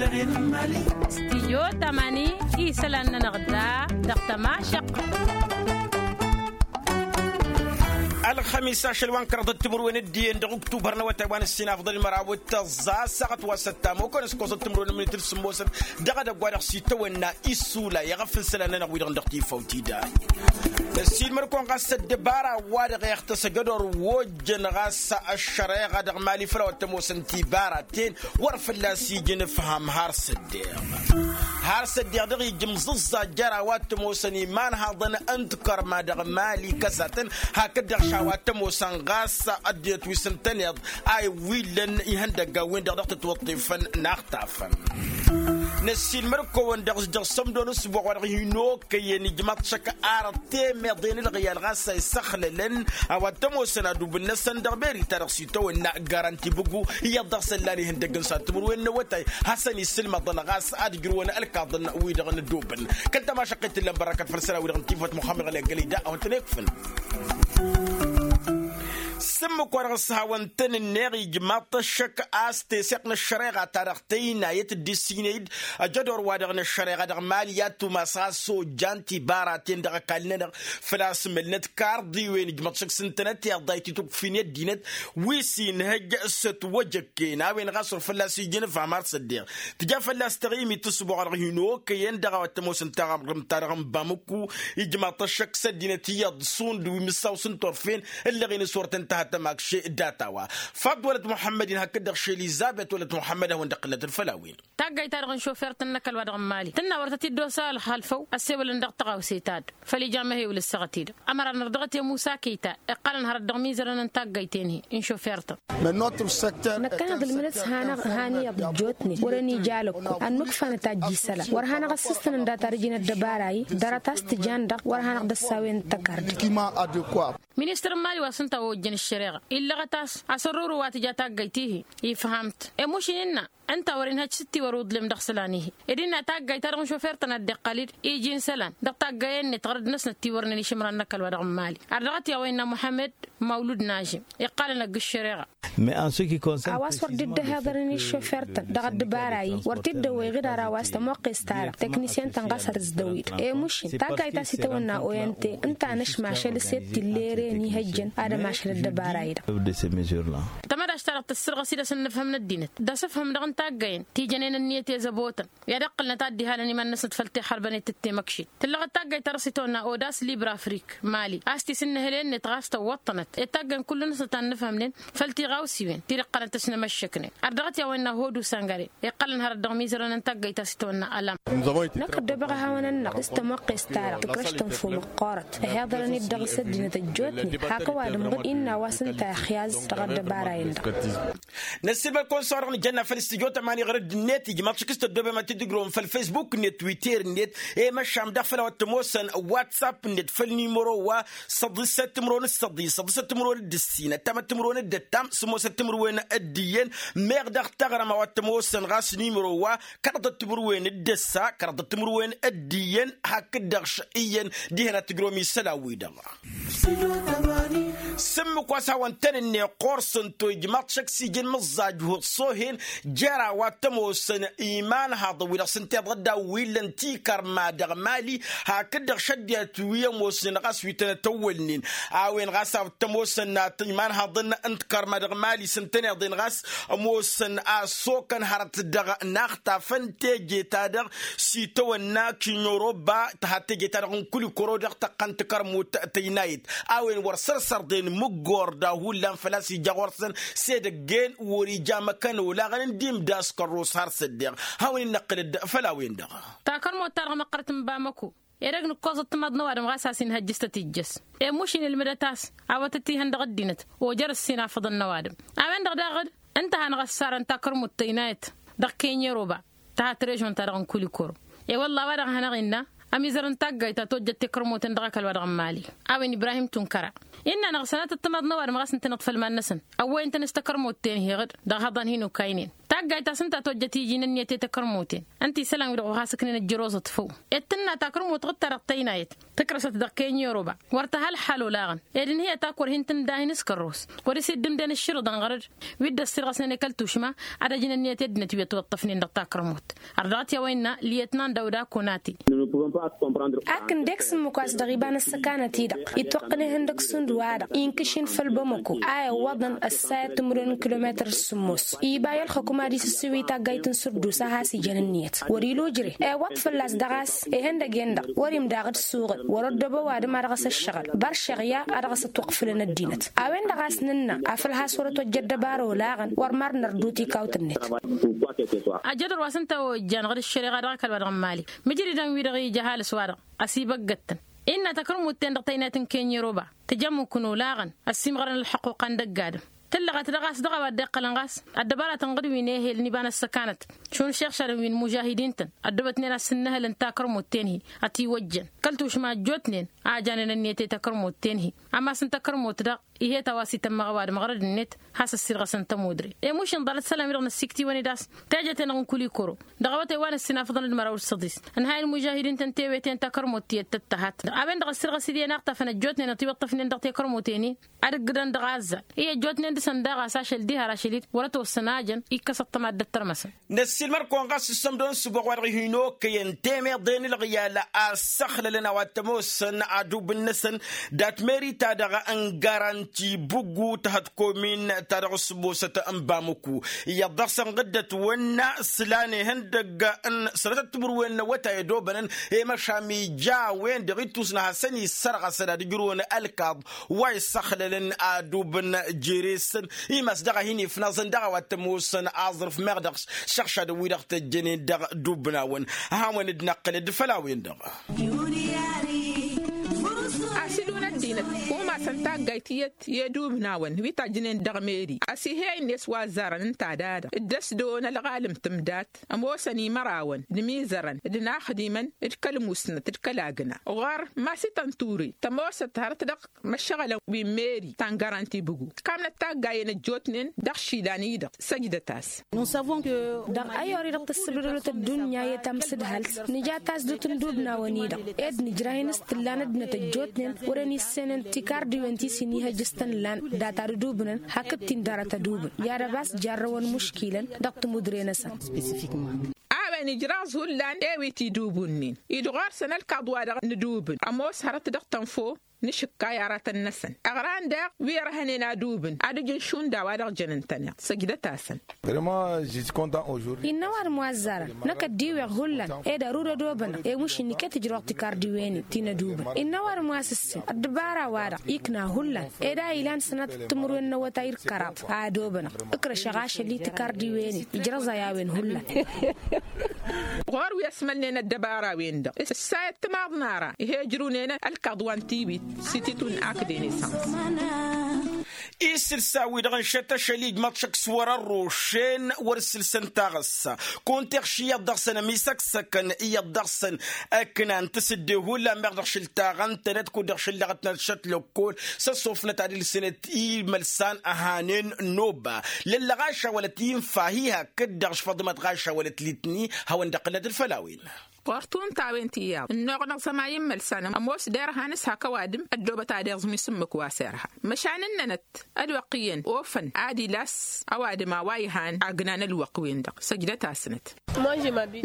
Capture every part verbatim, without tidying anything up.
Stijyo tamani isălan-nănăɣ da dăɣ-tămašăqq. Ălxămis ašăl wa n-kăraḍăt timǝrwen d-iyyăn dăɣ-uktubar n-awătay wa n-ǝssin afḍăl măraw d-tăẓẓa ăssaɣăt wa s-ăttam okănăs kosăt timǝrwen n-minit d-sǝmmosăt dăɣ-edăgg wa dăɣ-s itawănna isula i-aɣăf n-isălan-nănăɣ wi-dăɣ n-dăɣ-tifawt-i-dăɣ. Ăssiilmăd-kăwăn ɣas ăddăbara wa-dăɣ iɣtăs ăjădor wa ojjăn ɣas ăššăreɣa dăɣ-mali făll-a-wa t-ămoosăn tibaraten wăr fălla-s ija inǝfham har s-ăddeɣ. Har s-ăddeɣ dăɣ-ija ǝmẓǝẓẓa jer-a-wa t-ămoosăn imanhaḍăn n-tikărma dăɣ-mali kăsatăn hakd-dăɣ š-a-wa t-ămoosăn ɣas ăddinăt wi s-ǝntăneḍ a iwwillăn ihăndăggan-win-dăɣ dăɣ-tătwăṭṭifăn n-aɣtafăn. Năssiilmăd-kăwăn dăɣ-s dăɣ-sămdo n-ǝsbuɣ wa dăɣ-hin-okăyăn ijmaḍ šăkk arăt temeḍe n-ǝlɣǝyal ɣas a isăxlălăn a-wa t-ămoosăn adubǝl-năsăn dăɣ-beri-ta-dăɣ s-itawănna garanti bǝgu iyyăḍ dăɣ-săn lan ihăndăgg n-sa timǝrwen n-awătay hasăn-isǝlmăḍăn ɣas ad-ǝjrǝwăn ălkaḍăn-wi-dăɣ n-ădobăn. Kăl-tamašăqqet tǝllăn bărrakăt făll-săra-wi-dăɣ n-tifăt muxămmăd ɣălăggălăy da a-wa t-nǝkfǝn. S-ǝmmǝk-wa-dăɣ s-hawăn-tăn-ǝnneɣ ijmaḍ-t ăššăk a-s teseɣt n-ăššăreɣa-ta-dăɣ tăynayăt dd-issinăy-dd ăjădor-wa-dăɣ n-ăššăreɣa dăɣ-mali i-ad-tumas ɣas ojjan tibaraten dăɣ-ăkall-nănăɣ făl-a-s mălnăt karḍiwen ijmăḍ šăkk s-ǝntănăt iḍayt itukfin i-ăddinăt wi s-inhăjj s-ătwăjăkken a-wen ɣas wăr fălla-s ija inǝfham har s-ăddeɣ. Tǝja fălla-s taɣimit tǝsbuɣ-dăɣ hin-okăyăn dăɣ-a-wa t-ămoosăn taɣrǝmt-ta-dăɣ n-bamǝkku ijmaḍ-t ăššăk s-ăddinăt iyyăḍ šund wi mǝssaw s-ǝnturfen ǝllăɣen s-wăr tăn-tăha tămakše. Data-wa faḍ wălăt muḥămmăd-in hakd-dăɣ š-elizabet wălăt muḥămmăd a hawăn-dd-ăqqǝlnăt ălfăl-a-wen. Taggayt-ta-dăɣ n-šofert n-inăkăl wa dăɣ-n mali tǝnna wăr tăt-dd-osa ălxalfăw ăssewălăn dăɣ-tăɣawse-ta-dăɣ făl ija amăhewǝl ǝssaɣăt-i-dăɣ. Ămăra n-ărdăɣăt i-musa kăyta iqqălăn hărăt dăɣ-imizărăn n-taggayt-en-hi n-šofert-tăn. Năkkăneḍ ǝlmǝnăt s-hanăɣ han iyyăḍ ăjjootnen wăren ija alăkku ad-nǝkfanăt ajj isălan wăr hanăɣ-ăssǝstăn ǝnda tarǝjin ăddăbara-i. Ḍarăt a-s tǝjan-dăɣ wăr hanăɣ-dd-ăssawăyăn tăkarde. Ministăr n-mali wa s-ǝnta a ojjăn ăššăreɣa illăɣăt a-s asărruru wa tǝja taggayt-ihi ifham-t. Emuš-in innă ǝnta wăr-inhăj s-ǝttiwăr uḍlem dăɣ-isălan-ihi ed innă taggayt-ta-dăɣ n-šofer-tăn ad-dd-iqqăl-dd iji n-isălan dăɣ-taggăyăn-net ɣărăd-năsnăt tiwărnen išǝmran n-ăkall wa dăɣ-n mali. Ardăɣăt i-a-wa innă muḥămmăd mawlud nažim iqqalăn ăgg-ǝššăreɣa. A-wa s-wăr dd-ăhhiḍărăn i-iššofert-tăn dăɣ-ăddăbara-i wăr t-dd-ăwwăyăɣ d-ara wa s-tămoqqes-ta-dăɣ teknisyăn-tăn ɣas ad-ăzdăwwid. Emuš-in taggayt ta s-itawănna o n t ǝnta a năšmašăl s-e-d tillere n-ihăjjăn ad-ămašăl ăddăbara-i-dăɣ. Tămădaš-ta-dăɣ tăssărɣăs-dd asǝnnǝfhǝm n-ăddinăt d-asǝfhǝm dăɣ-n taggăyăn ti jănen ǝnniyăt i-zăbotăn i-ad-iqqǝlnăt ad-dd-ihalăn iman-năsnăt făll-tixărbănet d-temăkšit. Tǝllăɣăt taggayt ta dăɣ-s itawănna odas libre afrik mali a-s tisǝnnǝhǝlen-net ɣas tăwwăṭṭănăt ed taggăyăn kull-năsnăt a ǝnnǝfhămnen făll-tiɣawsiwen ti dd-iqqălăn tăšnămăššăknen. Ardăɣăt i-a-wa innă hodu săngăre iqqălăn hărăt dăɣ-imizărăn n-taggăyt ta s-itawănna ălam. Năkk ăddobăɣ ihawăn-nănăɣ s-tămoqqes-ta-dăɣ tǝkrăš-tăn fumăqqoorăt ăhiḍărăn-dd dăɣ-s ăddinăt ăjjootnen hak ăwadǝm ɣǝd innă a-wa s-ǝnta ixyaz dăɣ-ăddăbara-in-dăɣ. Năssiilmăd-kăwăn s-a-wa-dăɣ nǝjănna făll-studyo tămani ɣărădd-net ijmaḍ šik s-tăddoobem ad-t-dd-ǝgrǝwăm făll-facebook-net twitter-net i-măšan daɣ făll-a-wa t-ămoosăn whatsapp-net făll-nimăro wa săḍisăt timǝrwen d-săḍis săḍisăt timǝrwen d-ǝssin ăttamăt timǝrwen d-ăttam sǝmmosăt timǝrwen d-iyyăn. Meɣ dăɣ-taɣrăm a-wa t-ămoosăn ɣas nimăro wa kăraḍăt timǝrwen d-ǝssa kăraḍăt timǝrwen d-iyyăn hakd-dăɣ š-iyyăn dihen ad-t-ǝgrǝwăm isălan-wi-dăɣ. S-ǝmmǝk wa s-hawăn-tăn-ǝnneɣ ɣur-săn to ijmaḍ šăkk s-ija n-imǝẓẓaj hu-ăṣṣohen jer-a-wa t-ămoosăn imanhaḍăn wi-dăɣ s-ǝnta iḍădda wi illăn tikărma dăɣ-mali hakd-dăɣ šăddinăt wi ămoosnen ɣas wi tănăt-ăwwălnen. A-wen ɣas a t-ămoosăn imanhaḍăn n-tikărma dăɣ-mali s-ǝntăneḍ-en ɣas ămoosăn a ăssokăn hărăt dăɣ-inaxtafăn teje-ta-dăɣ s-itawănna kinyoroba tǝha teje-ta-dăɣ n-kulikoro dăɣ-tăqqa n-tikărmut tăynayăt. A-wen wăr sărsărḍen mǝggor da hullan făl-a-s ija ɣur-săn s-edăgg-en wăr-ija măkkăn olaɣăn n-dd-imdaskăr ros har s-ăddeɣ. Hawăn-in-năqqǝlăd făll-a-wen-dăɣ. Takărmut-ta-dăɣ măqqărăt n-bamăko edăgg nǝkkoẓăt timaḍ n-ăwadǝm ɣas a-s inhăjj s-tăt-ijjăs. Emuš-in ǝlmǝdăt a-s a-wa tăt-ihăndăɣ ăddinăt ojăr ǝssin afăḍăn n-ăwadǝm. A-wen-dăɣ daɣ-dd ǝnta a hanăɣ-ăssarăn takărmut tăynayăt dăɣ-kenyeroba tăha trežon-ta-dăɣ n-kulikoro. E-wălla a-wa dăɣ-hanăɣ-innă ămizăr n-taggayt ta tojjăt tekărmoten dăɣ-ăkall-wa-dăɣ n-imali. A-wen ibrahim tunkăra innă-năɣ sănatăt timaḍ n-ăwadǝm ɣas ǝntăneḍ făll-iman-năsăn ăwwăyăn-tăn s-takărmot-ten-hi-ɣǝd dăɣ-ihăḍan hin-okaynen. Taggayt ta s-ǝnta tojjăt iji n-ǝnniyăt i-takărmoten ǝnta isălan-wi-dăɣ uɣas ǝknen ăjjăroẓăt făw. Ed tǝnna takărmot ɣǝd-ta-dăɣ tăynayăt tǝkrăsăt dăɣ-kenyoroba wăr tăhălhal olaɣăn. Ed-inhǝyăt a-kăwăr hin-tǝndahin s-kărros wăr-isiddǝmden ǝššǝrǝḍăn ɣărăd wi dd-ăssirɣăsnen i-kăl-tušma ad-ăjǝn ǝnniyăt i-ăddinăt wi ătwăṭṭăfnen dăɣ-takărmot. Ărdăɣăt i-a-wa innă liyetnan dawda konate. Akǝn dek s-ǝmmǝk wa s-dăɣ iba n-ăssăkanăt-i-dăɣ itwăqqăn ihăndăg šund wa-dăɣ inkǝšin făll-bamăko a iwwăḍăn ăssayăt timǝrwen n-kilometăr s-sǝmmos. Iba i-ălxăkum ad-isǝsǝwǝy taggayt n-sǝrdus a has-ijăn ǝnniyăt wăr-ila ujre. Iwwăḍ fălla-s dăɣ-a-s ihăndăg-en-dăɣ wăr-imdaɣ d-suɣǝl wăr-ăddoobăn ăwadǝm a dăɣ-s ăššăɣǝl băršeɣ ya a dăɣ-s ătwăqfǝlăn ăddinăt. A-wen-dăɣ a-s nǝnnă afăl has-wăr-ătwăjja ăddăbara olaɣăn wăr mărnăr d-utikawt-net. Ăjjădăr wa s-ǝnta a ojjan ɣǝd ǝššăreɣa dăɣ-ăkall-wa-dăɣ n-imali mǝjridăn-wi-dăɣ ija ăhalǝs-wa-dăɣ ăsibăggăd-tăn. Innă takărmut-ten-dăɣ tăynayăt n-kenyăroba tǝjămukǝn olaɣăn ăssiimɣărăn ălḥăqquqa n-dăgg-adǝm. Tǝllăɣăt dăɣ-a-s dăɣ-a-wa dd-iqqălăn ɣas ăddăbara tănɣǝd wi n-ehel n-iba n-ăssăkanăt šund šeɣšadăn wi n-imužahidin-tăn ăddoobătnen ad-sǝnnǝhǝlăn takărmut-ten-hi. Ătiwăjjăn kăl-tušma ăjjootnen a janen ǝnniyăt i-takărmut-ten-hi. Ămass n-takărmut-dăɣ ih'-e ta wa s-itămmăɣ ăwadǝm ɣărăd-net has-ăssirɣăsăn tămudre. Emuš inḍalăt isălan-wi-dăɣ n-ăssiktǝwăn-dd a-s tejăten dăɣ-n kulikoro dăɣ-awătay wa n-ǝssin afǝḍăn d-măraw d-săḍis. Ǝnhayăn imužahidin-tăn teweten takărmut tiyyăt tăttăhat a-wen-dăɣ ăssirɣăs-dd i-enaɣtafăn ăjjootnen ătiwăṭṭăfnen dăɣ-tekărmut-en-in. Ad-ǝggǝdăn dăɣ-azzal i-ăjjootnen dăɣ-săn daɣ a-s ašăl diha ar ašăl-dd wăr-ătwăssăn a jăn. Ikkăsăt tămaddăt tărmăsăn. Năssiilmăr-kăwăn ɣas s-ămdăwăn s-ǝbbuɣ wa-dăɣ hin-okăyăn temeḍe n-ălɣiyal a ăssăxlălăn a-wa t-ămoosăn adubǝn-năsăn dat-meri-ta-dăɣ n-garanti buggu tăhăt komin-ta-dăɣ s-ămoosăt n-bamăku. Iyyăḍ dăɣ-săn ɣǝddăt wănna s-lan ihăndăgg n-sănătăt timǝrwen n-awătay ădobănăn i-măšan ija a-wen-dăɣ ittus n-ad-hasăn-issărɣăsăn ad-ǝjrǝwăn ălkaḍ wa issăxlălăn adubǝn jere-săn. Imas dăɣ-a hin-ifnaẓăn dăɣ-a-wa t-ămoosăn aẓrǝf meɣ dăɣ-s šăɣšadăn-wi-dăɣ tăjjănen dăɣ-dubǝnawăn. Ad-hawăn-dd-năqqǝlăd făll-a-wen-dăɣ. Asǝlun ăddinăt umasăn taggayt tiyyăt i-dubǝnawăn wi tajjǝnen dăɣ-meri ăsihey-net wa ăzzarăn ǝnta dada dd-ăsdăwăn ălɣalǝm tǝmdat. Ămoosăn imărawăn d-imizărăn d-inaxdimăn d-kăl-musnăt d-kăl-agna ɣur-masităn ture tămoosăt hărăt dăɣ-măššăɣălăn wi n-meri ta n-garanti bǝgu. Kamnăt taggayen ăjjootnen dăɣ-išilan-i-dăɣ săjdăt-as. Dăɣ-ăyori-dăɣ tăssăbdădălăt ăddunya i-tamsǝdhalt nǝja tasdut n-idubnawăn-i-dăɣ ed nǝjrah-in s-tǝllan ăddinăt ăjjootnen wăren issenen tikardiwen ti s-inihăj s-tăn-ǝllan data d-idubnăn hakd-t-in dăr-tădubǝn. I-ad-ăbas jarrăwăn muškilăn dăɣ-timudre-năsăn. A-wen ijraẓ hullan ewit idubǝnnin-i-dăɣ ɣur-săn ălkaḍ-wa-dăɣ n-idubǝn ămoos hărăt dăɣ-tănfo n-ašǝkkay aratăn-năsăn ăɣran daɣ wi ărhănen adubǝn ad-ǝjǝn šund a-wa-dăɣ jănăn-tăn-iḍ săjdăt-asăn. Innă ăwadǝm wa ăzzarăn năkk ăddiweɣ hullan ed ărud ădobănăɣ i-mušǝnni iket ǝjrăwăɣ tikardiwen-in ti n-ădubǝn. Innă ăwadǝm wa s-ǝssin ăddăbara-wa-dăɣ ikna hullan ed a ilan sănatăt timǝrwen n-awătay d-kăraḍ a ădobănăɣ. Ǝkrăšăɣ ašăl-i tikardiwen-in ijrăẓăy a-wen hullan. Ɣur-wi ăsmălnen ăddăbara-wen-dăɣ ǝssayăt timaḍ n-ara ih'-e ǝjrǝwnen ălkaḍ wa n-tiwit s-ititun akd enesăns. Isǝlsa-wi-dăɣ ǝnšăt ašăl-i ijmăḍ šăkk s-wăr-ărrošen wăr sǝlsăn taɣǝssa. Kunta iɣš iyyăḍ dăɣ-săn ămisăksăkăn iyyăḍ dăɣ-săn ăknan tasǝdde hullan meɣ dăɣ-šǝl taɣăntănăt kud-dăɣ šǝllăɣătnăt šăt lăkkol s-ăṣṣofnăt ad-ilsǝnăt imălsan ăhanen n-oba. Lăllăɣ ašawălăt infa hi-hakd-dăɣ š-făḍmăt ɣašawălăt litni. Hawăn-dd-ăqqǝlnăt d-făll-a-wen. Ɣur-tuntawen tiyyăḍ ǝnnuɣ n-aẓămay n-imălsan ămoos derhan s-hak ăwadǝm ăddoobăt ad-iẓmi s-ǝmmǝk wa s-irha. Măšan ǝnnănăt ălwăqq iyyăn ofăn ad-ilas ăwadǝm a-wa ihan agna n-ălwăqq-wen-dăɣ săjdăt-asnăt.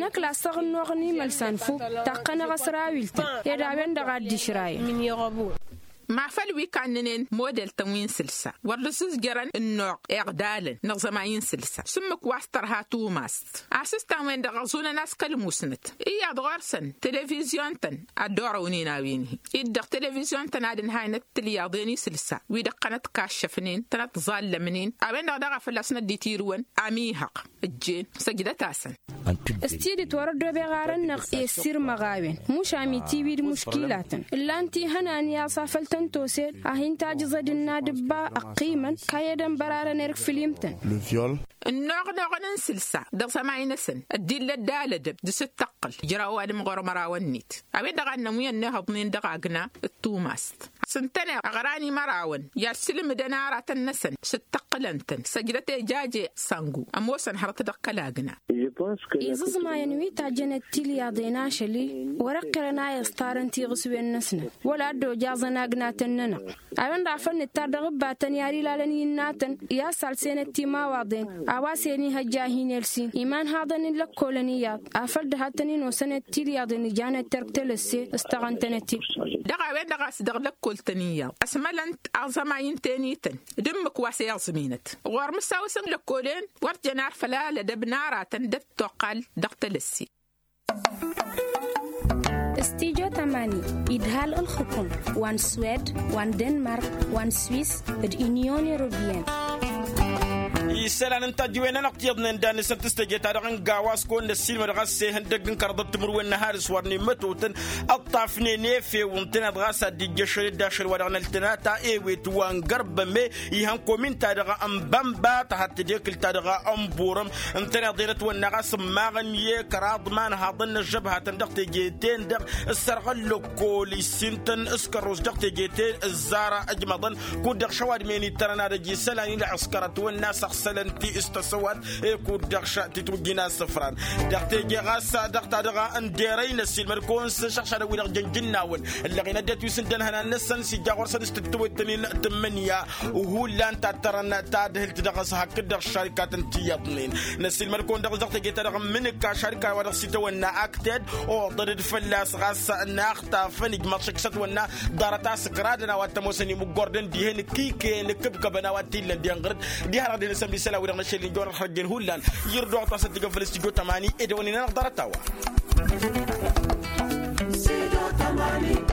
Năkk lasăɣ ǝnnuɣ n-imălsan fuk taqqănăɣ ăsrawil-tăn ed a-wen-dăɣ a dd-išrayăn. Ma făl wi kannănen model-tăn wi n-sǝlsa wăr dd-ăsǝzjărăn ǝnnuɣ iɣdalăn n-aẓămay n-sǝlsa s-ǝmmǝk wa s-tărha tumast. Asǝstan-wen-dăɣ ăẓunăn a-s kăl-musnăt iyyăḍ ɣur-săn televizyon-tăn ad-dd-orăwnen a-wen-hi-i-dd dăɣ-televizyon-tăn ad-ǝnhaynăt tǝlyaḍen isǝlsa wi dăɣ-tănăt-kaššăfnen tănăt-ẓallămnen. A-wen-dăɣ daɣ a fălla-s năddit irǝwăn amihăɣ ǝjjen săjdăt-asăn. S-tidǝt wăr-ăddobeɣ arăn-năɣ i-ăssirmăɣ a-wen mušam itiwid muškilatăn ǝllan-t ihănan i-aẓa făll. tăn-tosel a hin-tajǝẓ ad-ǝnna dăbba ăqqimăn. Kayyădăn bărarăn erk fǝlim-tăn. Ǝnnoɣnăɣăn n-sǝlsa dăɣ-sămay-năsăn ăddillăt d-alădăb d-asǝttăqqǝl ijraw ăwadǝm ɣur-mărawăn-net a-wen-dăɣ a ǝnnăn wi ănnihăḍnen dăɣ-agna d-tumast. S-ǝntăneḍ ăɣran i-mărawăn i-ad-sǝlmǝdăn aratăn-năsăn s-ǝttăqqǝlăn-tăn săjdăt ejaje sangu ămoosăn hărăt dăɣ-kăl-agna. Iẓǝẓmayăn wi tajjănăt tilyaḍen ašăl-i wăr-ăqqirăn a iẓtarăn tiɣǝswen-năsnăt wăla dd-ojaẓăn agnatăn-nănăɣ. A-wen-dăɣ a făl nǝttar dăɣ-ǝbbatăn i-ad-ilalăn i-ǝnnatăn i-ad-salsenăt timawaḍen a-wa s-en-ihăjja a hin-elsin imanhaḍăn n-lăkkolăn iyyăḍ afăl dăhat-tăn-in osănăt tilyaḍen ǝjanăt terk telăsse s-taɣăn-tănăt-dd. Dăɣ-a-wen-dăɣ a-s dăɣ-lăkkol-tăn iyyăḍ ăsmălăn-t aẓămay n-tenităn d-ǝmmǝk wa s-e-iẓminăt ɣur-mǝs a-wa s-ǝnlăkkolen wăr t-jăn ar făll-alădăb n-aratăn d-ăttoqqal dăɣ-telăsse. Studyo tamani idhal ǝlxǝkum wa n-swed wa n-denmark wa n-swis d-inyon europeyăn. Isălan n-tajǝwen-anăɣ tiyyăḍnen dan-năsăn tǝstăje-ta-dăɣ n-gawa s-kăwăn-năssiilmăd ɣas ehăndăgg n-kăraḍăt timǝrwen n-ăhalǝs wăr nemătotăn ăṭṭafnen efew ǝntăneḍ ɣas ad-dd-ijjăšăl d-ašăl wa dăɣ-năltănata ewet wa n-gărbăme ihăn komin-ta-dăɣ n-bănba tăhadd tedekǝlt-ta-dăɣ n-burăm. Ǝntăneḍ enătwănna ɣas ǝmmaɣăn i-kăraḍ imanhaḍăn n-ăžžăbhatăn dăɣ-teje-ten-dăɣ s-sărɣ ăllăkkol issin-tăn s-kărrus dăɣ-teje-ten ǝzzar ăjmăḍăn. Kud-dăɣ šăwadmen ittărăn ad-ăj isălan i-ălɣǝskăr ătwănna săɣsălăn-ti s-tăsăwat. Kud-dăɣ ša titwǝjjin asǝfran dăɣ-teje ɣas dăɣ-ta-dăɣ n-derăy năssiilmăd-kăwăn s-išăɣšadăn-wi-dăɣ jăn jǝnnawăn ǝllăɣen ăddinăt wi s-ǝndăn ihănan-năsăn s-ija ɣur-săn s-tǝttǝwăt-tăn-in tǝmmǝnǝya. Hullan tattărăn tadhǝlt dăɣ-s hakd-dăɣ šarikatăn tiyyăḍnen. Năssiilmăd-kăwăn dăɣ-s dăɣ-teje-ta-dăɣ n-imǝnǝk ašarika-wa-dăɣ s-itawănna akted oḍăd d-fălla-s ɣas n-axtafăn ijmaḍ šăkk s-ătwănna ḍarăt-as ǝkradăn a-wa t-ămoosăn imǝggordăn dihen ǝkkǝyken ǝkkǝbkăbăn a-wa t-illăn denɣăr-dd diha-dăɣ-den ăssămd isălan-wi-dăɣ n-ašăl n-jăwăr ălxărjen hullan. Ijrǝd oɣăt a-s ăddǝgăn făll-s tijo tămani ed ăwănnin-anăɣ ḍarăt-a-wa. Sido tămani.